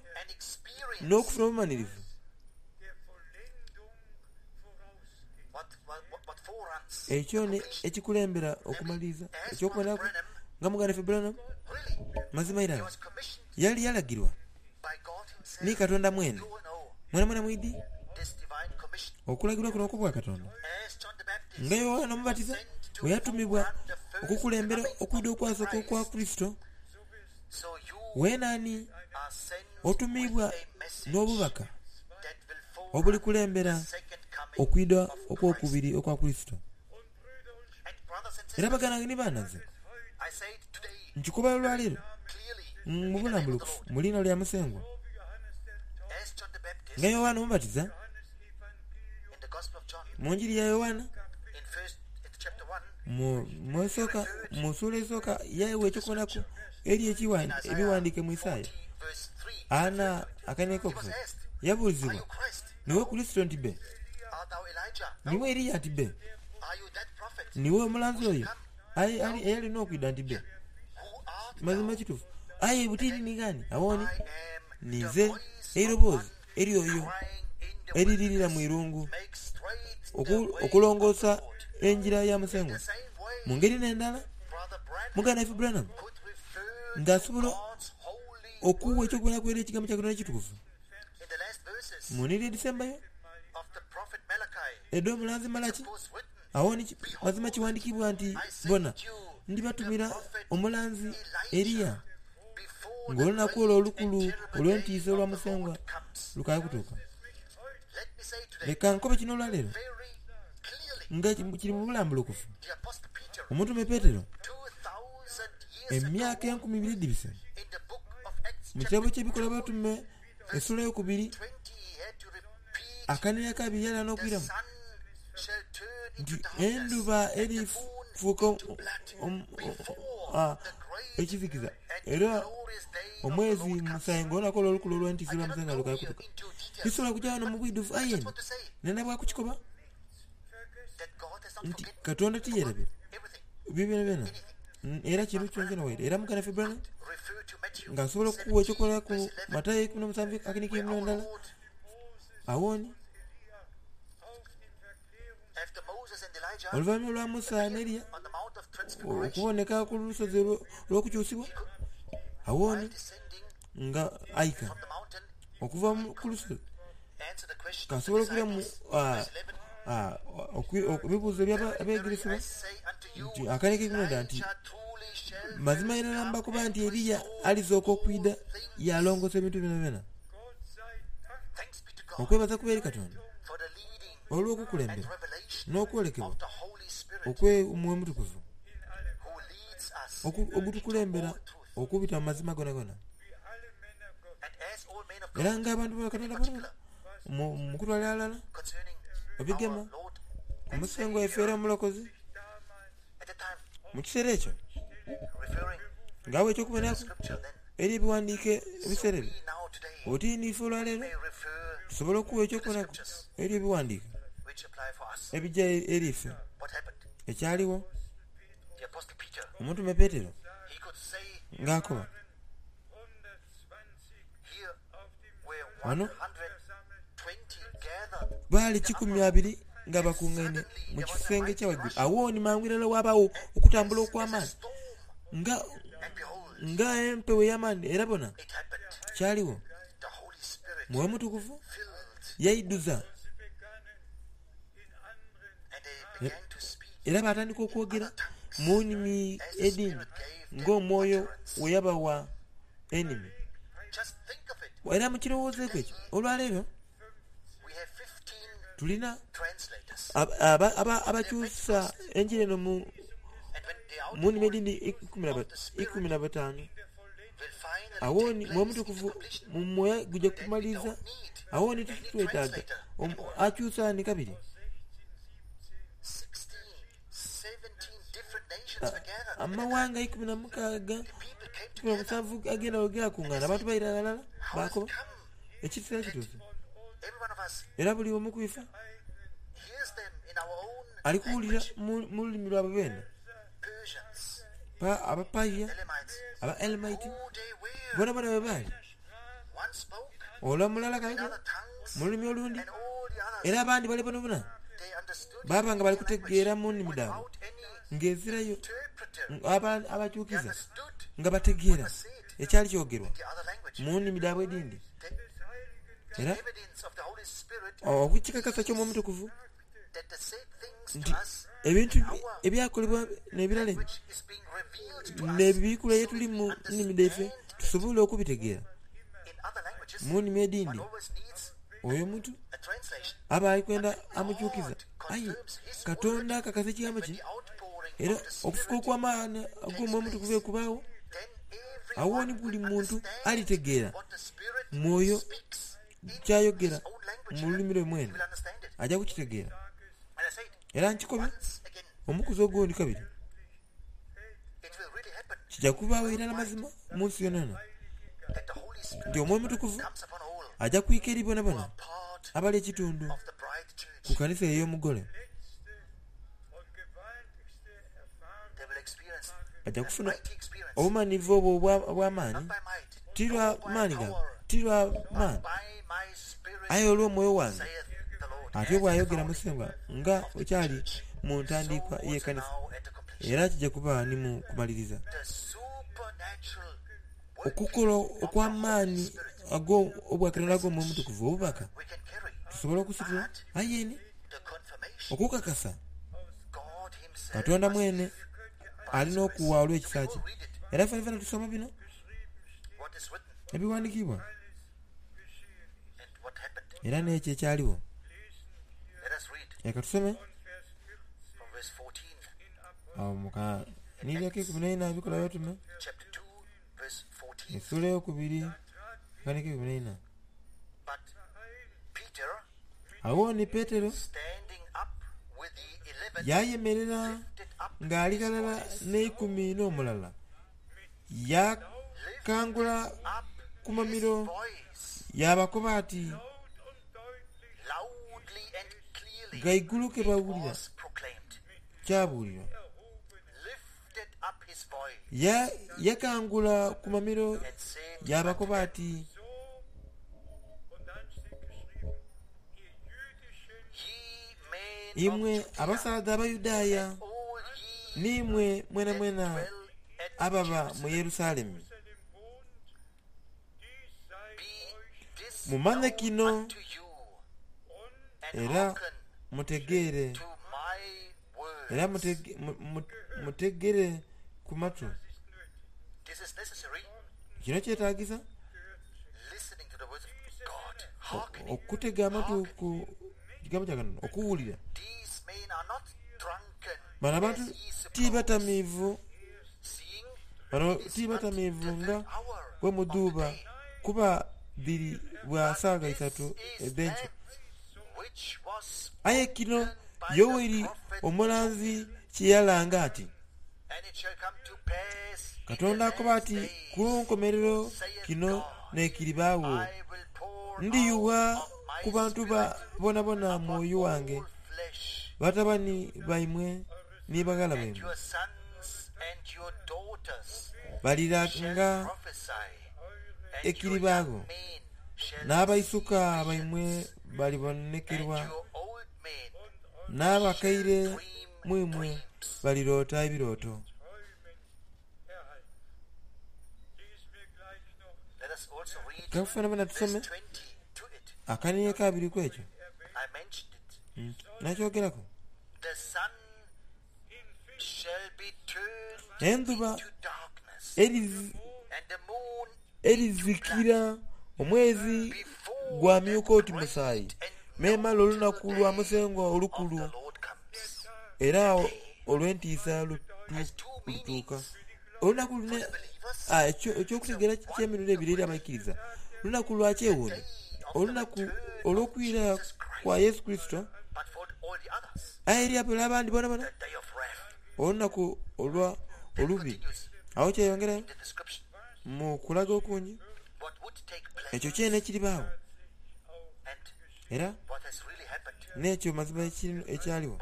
n'okufuna obumanhirivu. Ekyo ni ekikulembera okumaliriza eky'okuboneraku nga muganda waife Branham mazima irala yali yalagirwa ni Katonda mwene. Mwenamwena mwidhi okulagirwa kuno okw'Obwakatonda. Nga Yoanna Omubatiza bwe yatumibwa okukulembera okwidha okwasooka okwa Kurisito, weena ni otumiibwa n'obubaka obulikulembera okwidha okw'okubiri okwa Kurisito. Era baganda bange ni banhaze, nkikoba olwaleero mu bulambulukufu mu liina lya Musengwa, nga Yoanna Omubatiza mu Njiri ya Yoanna mu suula esooka yaigha eky'okubonaku eri ebighandiike mu Isaia ana akainhonhi ak'okusatu, yabuuzibwa, Niiwe Kurisito? Nti, Bbe. Niiwe Eriya? Nti, Bbe. Niiwe omulanzi oyo eyali n'okwidha? Nti, Bbe. Mazima kituufu. Aye buti ni ghani? Agho ni, ninze eiroboozi ery'oyo eriririra mu irungu, okulongoosa engira ya Musengwa. Mu ngeri n'endala, muganda waife Branham ng'asobola okuwa eky'okuboneraku eri Ekigambo kya Katonda Ekitukuvu mu nhiriri edhisembayo edh'omulanzi Malaki. Agho ni mazima kiwandikibwa nti, Bona, ndibatumira omulanzi Eliya ng'olunaku olwo olukulu olw'entiisa olwa Musengwa lukaali kutuuka. Leka nkobe kino olwaleero nga kiri mu bulambulukufu. Omutume Petero, emyaka enkumi ibiri edhibise, mu kitabo ky'Ebikolwa by'Abatume esula eyokubiri akanhiriro akabiri yali n'okwiramu nti endhuba erifuuka ekizikiza era omwezi musaayi ng'olunaku olwo olukulu olw'entiisa olwa Musengwa lukaali kutuuka. Tisobola kuja ghano mu bwidhuvu aye nenda bwa kukikoba nti Katonda tiyerabira ebyo byonabyona era kintu kyonakyona waire. Era muganda waife Branham ng'asobola okukuwa eky'okuboneraku Matayo eikumi n'omusanvu akanikiire mu ndala agho ni oluvannyuma lwa Musa n'Eriya okuboneka ku lusozi olw'okukyusibwa, agho ni nga aika okuva ku lusozi k'asobole okwiramu. Ebibuuzo eby'Abeegeresebwa nti akaneka ekimu nti mazima irala mbakoba nti Eriya alizooka okwidha yaalongoosa ebintu byonabyona. Okwebaza kube eri Katonda olw'okukulembera n'okwolekebwa okw'Omwoyo Omutukuvu ogutukulembera okubita mu mazima gonagona. Era ng'abantu ba Katonda bonabona mu kutwalira ghalala ebigema ku Musengwa waife era Omulokozi mu kiseera ekyo ng'awa eky'okuboneraku eri ebighandiiko ebiseera ebyo. Oti ni ife olwaleero tusobola okuwa eky'okuboneraku eri ebighandiiko ebija eri ife. Ekyaligho, omutume Petero ng'akoba Ghano baali 20 nga bakungaine mu kisenge ekya ghaigulu. Agho ni mangu irala ghabagho okutambula okw'amaani nga nga empewo ey'amaani era bona, kyaligho. Mwoyo Mutukuvu yaidhuza era baatandika okwogera mu nnimi edhindi ng'Omwoyo bwe yabawa enimi. Era mukirowoozeeku ekyo, olwaleero tulina abakyusa enjiri eno mu nnimi edhindi 15. Agho ni Mwoyo Mutukuvu mu mwoyo guja kumaliriza. Agho ni titwetaaga akyusa ni kabiri. Amawanga 16, 17 ag'endhaghulo gaakungaana, abantu baira ghalala baakoba, Ekiseera kituuse era buli omu ku ife ali kuwulira mu lulimi lwabwe beene. Abapaia, Abaelamaiti, boonaboona bwe baali. Ole omulala kayogera mu lulimi olundi, era abandi bale boonaboona baaba nga bali kutegeera mu nnimi dhaibwe ng'ezirayo abakyukiza, nga bategeera ekyali kyogerwa mu nnimi dhaibwe edhindi. Era okukikakasa ky'Omwoyo Omutukuvu nti ebintu ebyakolebwa n'ebirala ebyo n'ebibikulwa ye tuli mu nnimi dhaife tusobole okubitegeera mu nnimi edhindi. Oyo omuntu aba ali kwenda amukyukiza, aye Katonda akakasa ekigambo kye era okufuka okw'amaani ag'Omwoyo Omutukuvu bwe kubaagho, agho ni buli muntu alitegeera Mwoyo ky'ayogera mu lulimi lwe mwene, aja kukitegeera. Era nkikobye omukuzi ogundi kabiri, kija kubaagho irala mazima mu nsi yonayona nti Omwoyo Omutukuvu aja kwika eri bonabona abali ekitundu ku kanisa ey'Omugole. Baja kufuna obumanhivu obwo obw'amaani, ti lwa maani gaabwe, ti lwa maani, aye olw'Omwoyo wange, atyo bw'ayogera Musengwa, nga bwe kyali mu ntandiikwa y'ekanisa, era kija kuba ni mu kumaliriza. Okukola okw'amaani ag'Obwakatonda ag'Omwoyo Omutukuvu, obubaka, tusobola okusitula, aye ni okukakasa Katonda mwene ali n'okuwa olw'ekisa kye. Era fenafena tusoma bino ebighandikiibwa era n'ekyo ekyaligho. Leka tusome agho mu kanhiriri ak'eikumi n'eina Ebikolwa by'Abatume esula eyokubiri akani ak'eikumi n'eina. Agho ni Petero yaayemerera ng'ali ghalala n'eikumi n'omulala, yaakangula ku mamiro yaabakoba ati, Ghaigulu ke bawulira kyabuulirwa. Yakangula ku mamiro yaabakoba ati. Imwe abasaadha Abayudaaya, n'imwe mwenamwena ababa mu Yerusalemu, mumanhe kino era. Mutegeere era mutegere ku matu. Kino kyetaagisa okutega amatu ku kigambo kya Katonda, okuwulira. Bano abantu ti batamiivu, bano ti batamiivu nga bwe mudhuuba, kuba dhiri bwa saagha isatu edh'enkyo. Aye kino Yoeli omulanzi kye yalanga ati. Katonda akoba ati, Ku nkomerero kino n'ekiribaagho, ndiyugha ku bantu boonaboona Mwoyo wange, batabani baimwe ni baghala baimwe baliranga ekiribaagho, n'abaisuka baimwe balibonekerwa, n'abakaire mu imwe baliroota ebirooto. Ka fenafena tusome akaniina akabiri ku ekyo. Nakyogeraku. Endhuba erizikira, omwezi gwamyuka oti musaayi, memale olunaku lwa Musengwa olukulu era olw'entiisa lutuuka. Olunaku luno eky'okutegeera ky'emirundi ebiri eri abaikiriza, lunaku lwa kyewuunhio, olunaku olw'okwira kwa Yesu Kurisito. Aye eri abo abandi boonaboona, olunaku olwa olubi. Agho kyeyongerayo mu kulaga okungi ekyo kyene ekiribaagho era n'ekyo mazima ekyaligho.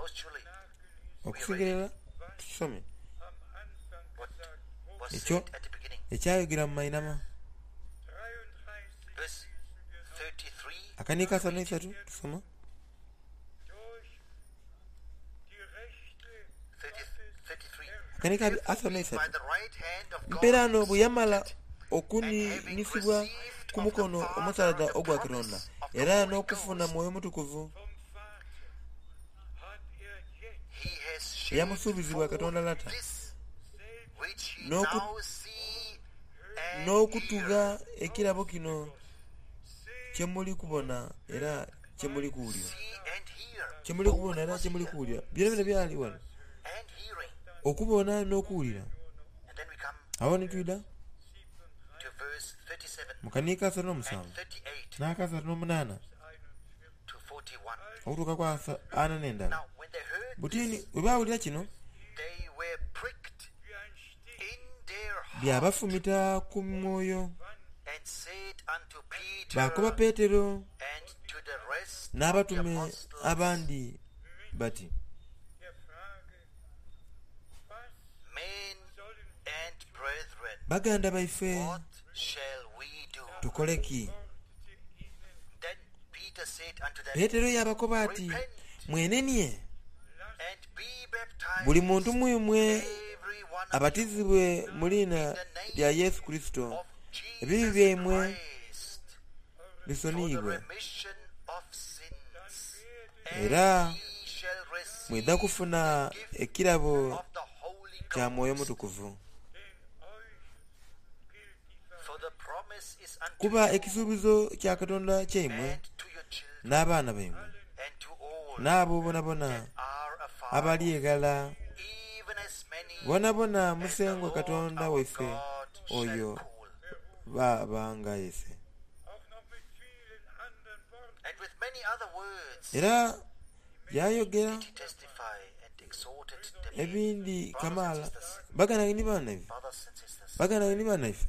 Okusingira irala tukisome ekyo ekyayogera mu mainhama. Akaniiko asatu n'eisatu tusoma. Akaniiko asatu n'eisatu. Mperaano bwe yamala okuniinisibwa ku mukono omusaadha ogwa Katonda, era n'okufuna Mwoyo Mutukuvu eyamusuubizibwa Katonda Lata, n'okutugha ekirabo kino kye muli kubona era kye muli kuwulira. Kye muli kubona era kye muli kuwulira. Byonabyona byali ghano, okubona n'okuwulira. Agho ni twidha mu kaniiko asatu n'omusanvu n'akasatu n'omunaana okutuuka ku ana n'endala. Buti bwe baawulira kino, byabafumita ku mwoyo. Baakoba Petero n'abatume abandi bati. Baganda baife, tukole ki? Petero yaabakoba ati, Mwenenie, buli muntu mu imwe abatizibwe mu liina lya Yesu Kurisito, ebibi byaimwe bisoniyibwe, era mwidha kufuna ekirabo kya Mwoyo Mutukuvu. Kuba ekisuubizo kya Katonda kyaimwe n'abaana baimwe, n'abo boonaboona abali eghala, boonaboona Musengwa Katonda waife oyo b'aba ng'ayese. Era yaayogera ebindi kamaala. Baganda ni banaife, baganda ni banaife,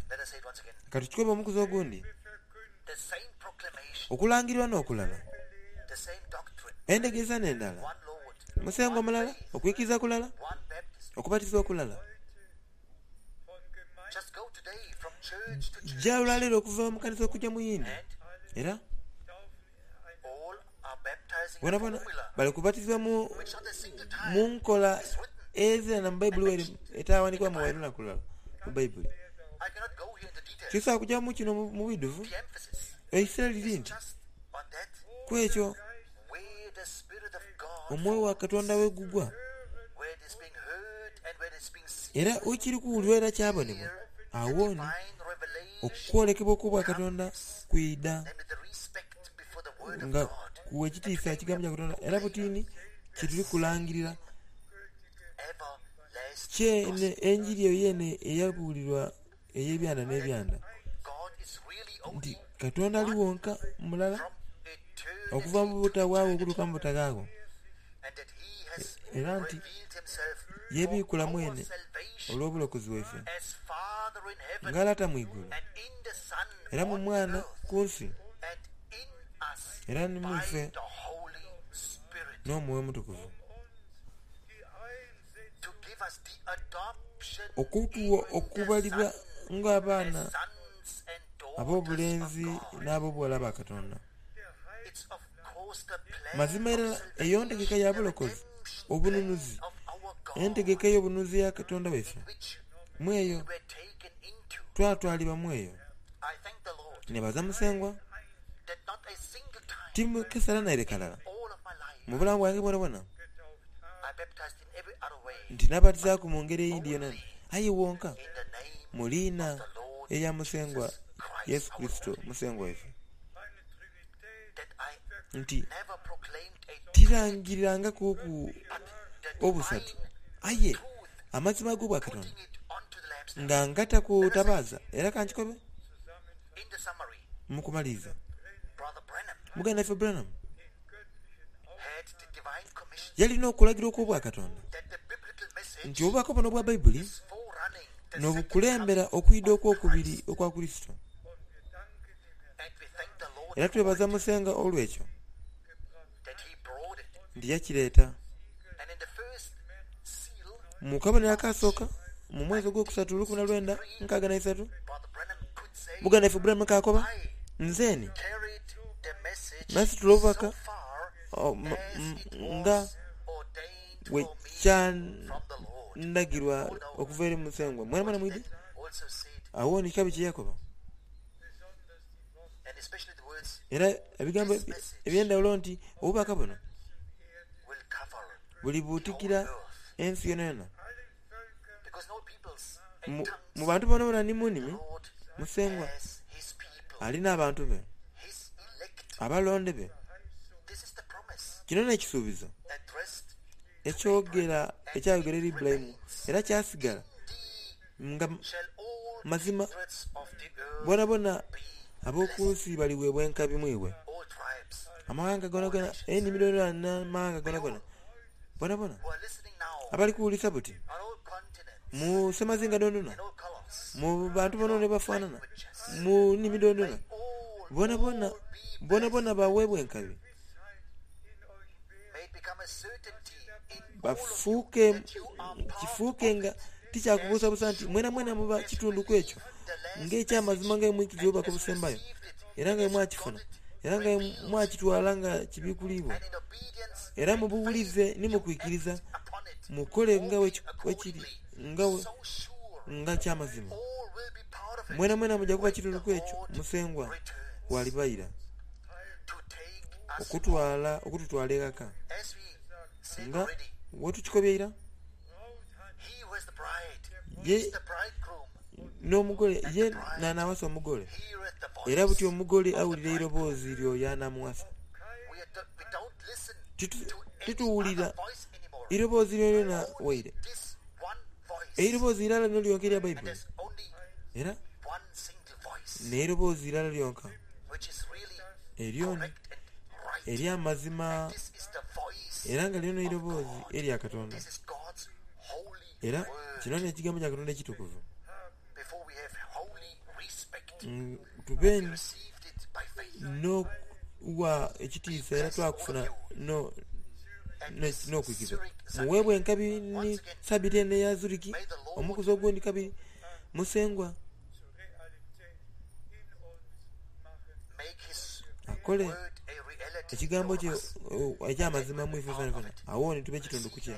ka tukikobe omukuzi ogundi, okulangirirwa n'okulala, endhegeresa n'endala, Musengwa mulala, okwikiriza kulala, okubatizibwa kulala. Ja olwaleero okuva mu kanisa okuja mu yindi, era bonabona bali kubatizibwa mu nkola ezira na mu Baibuli waire etawandikibwamu waire lunaku lulala mu Baibuli. Tisobola kuja mu kino mu bwidhuvu. Eisira liri nti ku ekyo. Omwoyo wa Katonda we gugwa, era wekiri kuwulirwa era kyabonebwa, agho ni okwolekebwa okw'Obwakatonda kwidha nga kuwa ekitiisa Ekigambo kya Katonda. Era butini kye tuli kulangirira kyene Enjiri eyo yeene eyabuulirwa ey'ebyanda n'ebyanda, nti Katonda ali wonka mulala okuva mu butagwaagho okutuuka mu butaghaagho, era nti yeebiikula mwene olw'obulokozi bwaife, nga Lata mu igulu, era mu Mwana ku nsi, era ni mu ife n'Omwoyo Omutukuvu. Okutuwa okubalibwa ng'abaana ab'obulenzi n'ab'obughala ba Katonda. Mazima irala eyo ntegeka ya bulokozi, obununuzi, entegeka ey'obununuzi eya Katonda waife. Mu eyo twatwalibwa mu eyo. Nebaza Musengwa timukesala naire kalala mu bulamu bwange bwonabwona nti nabatizaaku mu ngeri eyindi yonayona, aye wonka mu liina erya Musengwa Yesu Kurisito Musengwa waife, nti tirangirirangakuuku obusatu, aye amazima ag'Obwakatonda nga ngata ku tabaaza. Era ka nkikobe mu kumaliriza, muganda waife Branham yalina okulagirwa okw'Obwakatonda nti obubaka buno obwa Baibuli n'obukulembera okwidha okw'okubiri okwa Kurisito. Era twebaza Musengwa olw'ekyo nti yakireeta. Mu kabonero akaasooka, mu mwezi ogwokusatu 1963, muganda waife Branham k'akoba, Nzeeni nasitula obubaka nga bwe kyandagirwa okuva eri Musengwa. Mwenamwena mwidhi? Agho ni kikabi kye yakoba. Era ebigambo eby'endhaghulo nti obubaka buno bulibuutikira ensi yonayona. Mu bantu boonaboona ni mu nnimi, Musengwa ali n'abantu be, abalonde be. Kino n'ekisuubizo ekyogera ekyayogera eri Ibulayimu era kyasigala nga mazima boonaboona ab'oku nsi baliweebwa enkabi mu iwe. Amaghanga goonagoona, enimi dhoonadhoona n'amaghanga goonagoona, boonaboona abali kuwulirisa buti mu semazinga dhoonadhoona, mu bantu boonaboona abafaanana, mu nnimi dhoonadhoona, boonaboona boonaboona baweebwe enkabi. Bafuuke, kifuuke nga tikyakubuusabuusa nti mwenamwena muba kitundu ku ekyo, ng'eky'amazima nga bwe mwikiriza obubaka obusembayo, era nga bwe mwakifuna, era nga bwe mwakitwala nga kibikuliibwa, era mu buwulize ni mu kwikiriza, mukole nga bwe kiri, nga nga ky'amazima. Mwenamwena muja kuba kitundu ku ekyo, Musengwa bw'alibaira. Okutwala, okututwala eghaka. Nga bwetukikobye eira, ye n'omugole, ye n'anaawasa omugole, era buti omugole awulira eiroboozi ly'oyo anaamuwasa. Tituwulira iroboozi lyonalyona waire eiroboozi irala lino lyonka erya Baibuli, era n'eiroboozi irala lyonka eryo ery'amazima, era nga lino n'eiroboozi erya Katonda. Era kino n'Ekigambo kya Katonda ekitukuvu. Tube n'okuwa ekitiisa era twakufuna n'okwikiriza. Muweebwe enkabi ni Sabiiti eno eya Zuriki, omukuzi ogundi kabiri, Musengwa akole ekigambo kye eky'amazima mu ife fenafena. Agho ni tube kitundu ku kye,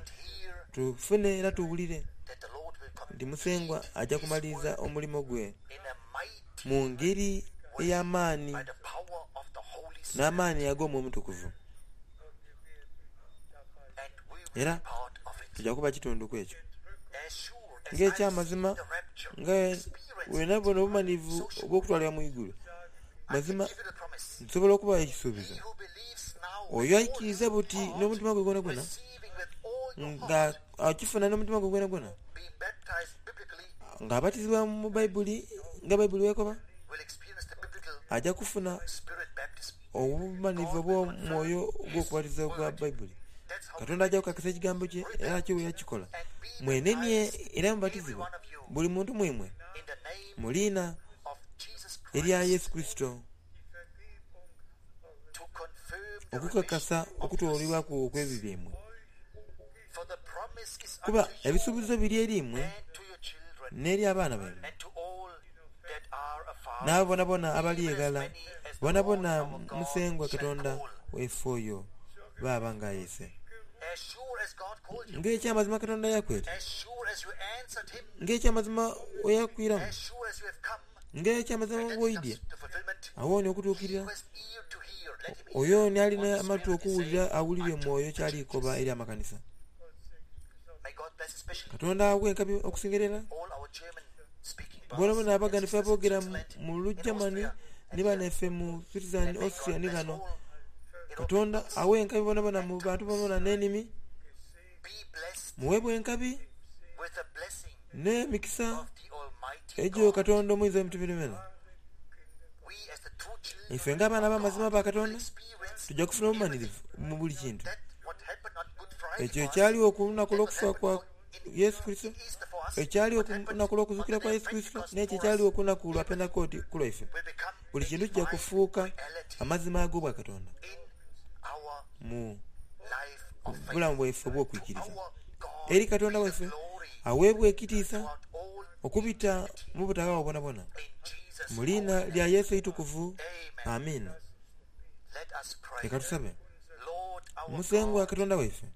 tufune era tuwulire nti Musengwa aja kumaliriza omulimo gwe mu ngeri ey'amaani n'amaani ag'Omwoyo Omutukuvu. Era tuja kuba kitundu ku ekyo. Ng'ekyamazima, nga bwenabona obumanhivu obw'okutwalibwa mu igulu, mazima nsobola okubagha ekisuubizo. Oyo aikiriza buti n'omutima gwe gwonagwona, nga akifuna n'omutima gwe gwonagwona, nga abatizibwa mu Baibuli nga Baibuli bw'ekoba, aja kufuna obumanhivu obw'omwoyo ogw'okubatiza ogwa Baibuli. Katonda aja kukakasa ekigambo kye era kyo bwe yakikola. Mwenenie era mubatizibwe, buli muntu mu imwe, mu liina erya Yesu Kurisito, okukakasa okutoolebwaku okw'ebibi byaimwe. Kuba ebisuubizo biri eri imwe n'eri abaana baimwe, n'abo boonaboona abali eghala, boonaboona Musengwa Katonda waife oyo b'aba ng'ayese. Ng'eky'amazima Katonda yakweta, ng'eky'amazima bwe yakwiramu, ng'eky'amazima bw'oidye, agho ni okutuukirira. Oyo ni ali n'amatu okuwulira awulire Mwoyo ky'ali koba eri amakanisa. Katonda aghe enkabi okusinga irala boonaboona Abaganda ife aboogera mu Lugermany ni banaife mu Switzerland, Austria ni ghano. Katonda aghe enkabi boonaboona mu bantu boonaboona n'enimi. Muweebwe enkabi n'emikisa egyo Katonda Omuyinza w'Ebintu byonabyona. Ife ng'abaana ab'amazima aba Katonda, tuja kufuna obumanhirivu mu buli kintu. Ekyo ekyaligho ku lunaku olw'okufa kwa Yesu Kurisito, ekyaligho ku lunaku olw'okuzuukira kwa Yesu Kurisito, n'ekyo ekyaligho ku lunaku lwa Pentekooti ku lwaife. Buli kintu kija kufuuka amazima ag'Obwakatonda mu bulamu bwaife obw'okwikiriza. Eri Katonda waife aweebwe ekitiisa okubita mu butaghaagho bwonabwona. Mu liina lya Yesu eitukuvu. Amiina. Leka tusabe. Musengwa Katonda waife,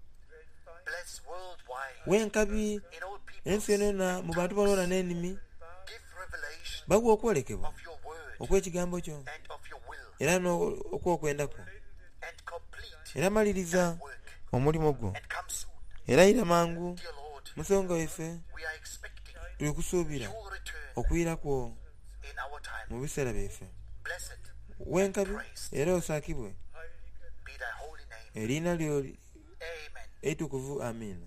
w'enkabi ensi yonayona mu bantu bonabona n'enimi, baghe okwolekebwa okw'ekigambo kyo era n'okw'okwenda kwo, era maliriza omulimo gwo, era ira mangu. Musengwa waife, tuli kusuubira okwira kwo mu biseera byaife. W'enkabi era osaakibwe eriina lyo eitukuvu. Amiina.